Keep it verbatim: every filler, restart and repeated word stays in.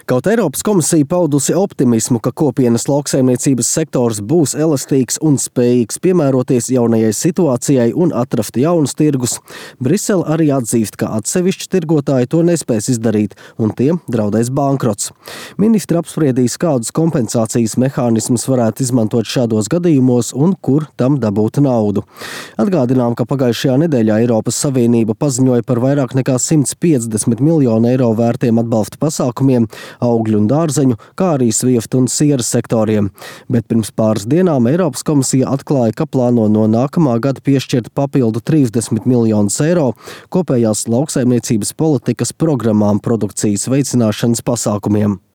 Kaut Eiropas komisija paudusi optimismu, ka kopienas lauksaimniecības sektors būs elastīgs un spējīgs piemēroties jaunajai situācijai un atrast jaunus tirgus, Brisele arī atzīst, ka atsevišķi tirgotāji to nespēs izdarīt un tiem draudēs bankrots. Ministri apspriedīs, kādus kompensācijas mehānismus varētu izmantot šādos gadījumos un kur tam dabūt naudu. Atgādinām, ka pagājušajā nedēļā Eiropas Savienība paziņoja par vairāk nekā simt piecdesmit miljonu eiro vērtiem atbalsta pasākumiem augļu un dārzeņu, kā arī svieftu un sieras sektoriem. Bet pirms pāris dienām Eiropas komisija atklāja, ka plāno no nākamā gada piešķirt papildu trīsdesmit miljonus eiro kopējās lauksaimniecības politikas programmām produkcijas veicināšanas pasākumiem.